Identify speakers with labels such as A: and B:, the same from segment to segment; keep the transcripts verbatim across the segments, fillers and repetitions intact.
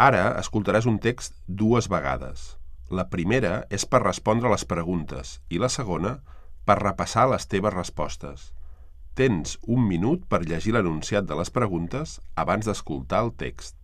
A: Ara escoltaràs un text dues vegades. La primera és per respondre les preguntes i la segona per repassar les teves respostes. Tens un minut per llegir l'enunciat de les preguntes abans d'escoltar el text.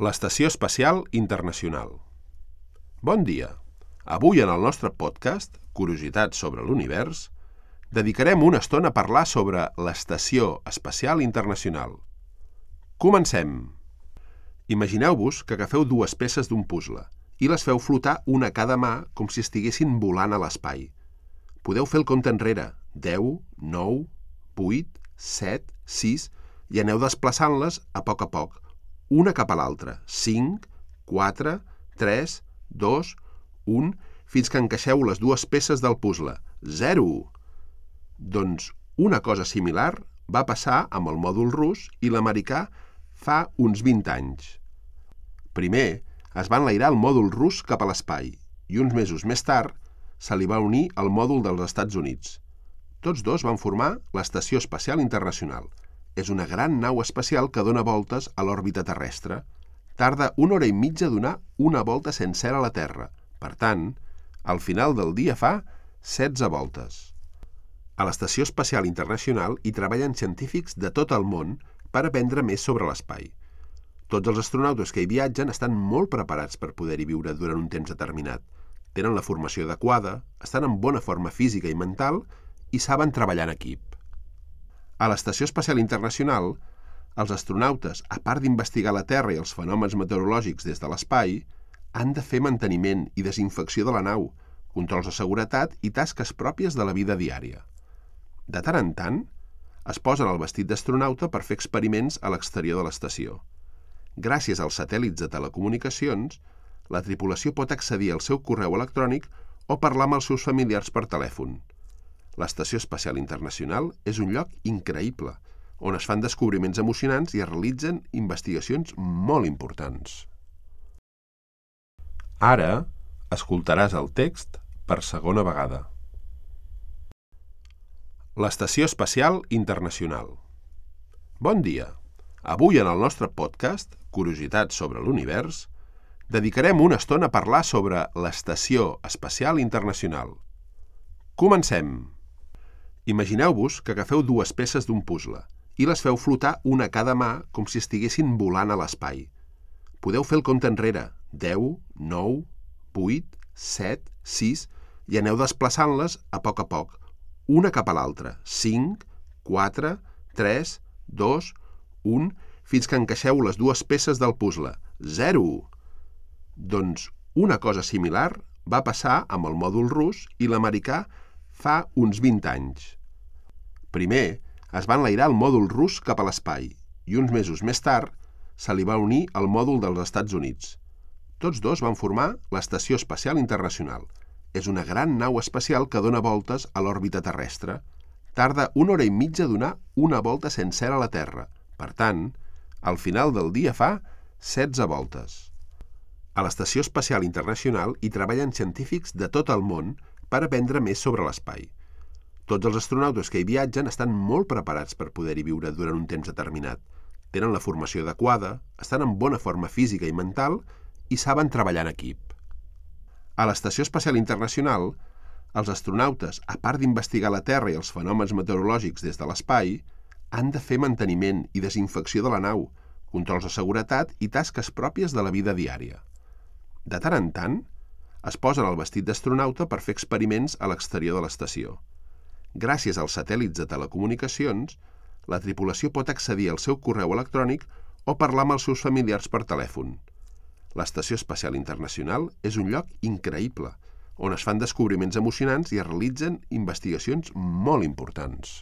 A: L'Estació Espacial Internacional. Bon dia! Avui en el nostre podcast, Curiositats sobre l'Univers, dedicarem una estona a parlar sobre l'Estació Espacial Internacional. Comencem! Imagineu-vos que agafeu dues peces d'un puzzle i les feu flotar una a cada mà com si estiguessin volant a l'espai. Podeu fer el compte enrere, deu, nou, vuit, set, sis, i aneu desplaçant-les a poc a poc, una cap a l'altra, cinc, quatre, tres, dos, un, fins que encaixeu les dues peces del puzzle, zero. Doncs una cosa similar va passar amb el mòdul rus i l'americà fa uns vint anys. Primer es va enlairar el mòdul rus cap a l'espai i uns mesos més tard se li va unir el mòdul dels Estats Units. Tots dos van formar l'Estació Espacial Internacional. És una gran nau espacial que dona voltes a l'òrbita terrestre. Tarda una hora i mitja a donar una volta sencera a la Terra. Per tant, al final del dia fa setze voltes. A l'Estació Espacial Internacional hi treballen científics de tot el món per aprendre més sobre l'espai. Tots els astronautes que hi viatgen estan molt preparats per poder-hi viure durant un temps determinat. Tenen la formació adequada, estan en bona forma física i mental i saben treballar en equip. A l'Estació Espacial Internacional, els astronautes, a part d'investigar la Terra i els fenòmens meteorològics des de l'espai, han de fer manteniment i desinfecció de la nau, controls de seguretat i tasques pròpies de la vida diària. De tant en tant, es posen el vestit d'astronauta per fer experiments a l'exterior de l'estació. Gràcies als satèl·lits de telecomunicacions, la tripulació pot accedir al seu correu electrònic o parlar amb els seus familiars per telèfon. L'Estació Espacial Internacional és un lloc increïble, on es fan descobriments emocionants i es realitzen investigacions molt importants. Ara escoltaràs el text per segona vegada. L'Estació Espacial Internacional. Bon dia! Avui en el nostre podcast, Curiositats sobre l'Univers, dedicarem una estona a parlar sobre l'Estació Espacial Internacional. Comencem! Imagineu-vos que agafeu dues peces d'un puzzle i les feu flotar una a cada mà com si estiguessin volant a l'espai. Podeu fer el compte enrere, deu, nou, vuit, set, sis, i aneu desplaçant-les a poc a poc, una cap a l'altra, cinc, quatre, tres, dos, un, fins que encaixeu les dues peces del puzzle, zero. Doncs una cosa similar va passar amb el mòdul rus i l'americà fa uns vint anys. Primer es va enlairar el mòdul rus cap a l'espai i uns mesos més tard se li va unir el mòdul dels Estats Units. Tots dos van formar l'Estació Espacial Internacional. És una gran nau espacial que dona voltes a l'òrbita terrestre. Tarda una hora i mitja a donar una volta sencera a la Terra. Per tant, al final del dia fa setze voltes. A l'Estació Espacial Internacional hi treballen científics de tot el món per aprendre més sobre l'espai. Tots els astronautes que hi viatgen estan molt preparats per poder-hi viure durant un temps determinat. Tenen la formació adequada, estan en bona forma física i mental i saben treballar en equip. A l'Estació Espacial Internacional, els astronautes, a part d'investigar la Terra i els fenòmens meteorològics des de l'espai, han de fer manteniment i desinfecció de la nau, controls de seguretat i tasques pròpies de la vida diària. De tant en tant, es posen el vestit d'astronauta per fer experiments a l'exterior de l'estació. Gràcies als satèl·lits de telecomunicacions, la tripulació pot accedir al seu correu electrònic o parlar amb els seus familiars per telèfon. L'Estació Espacial Internacional és un lloc increïble, on es fan descobriments emocionants i es realitzen investigacions molt importants.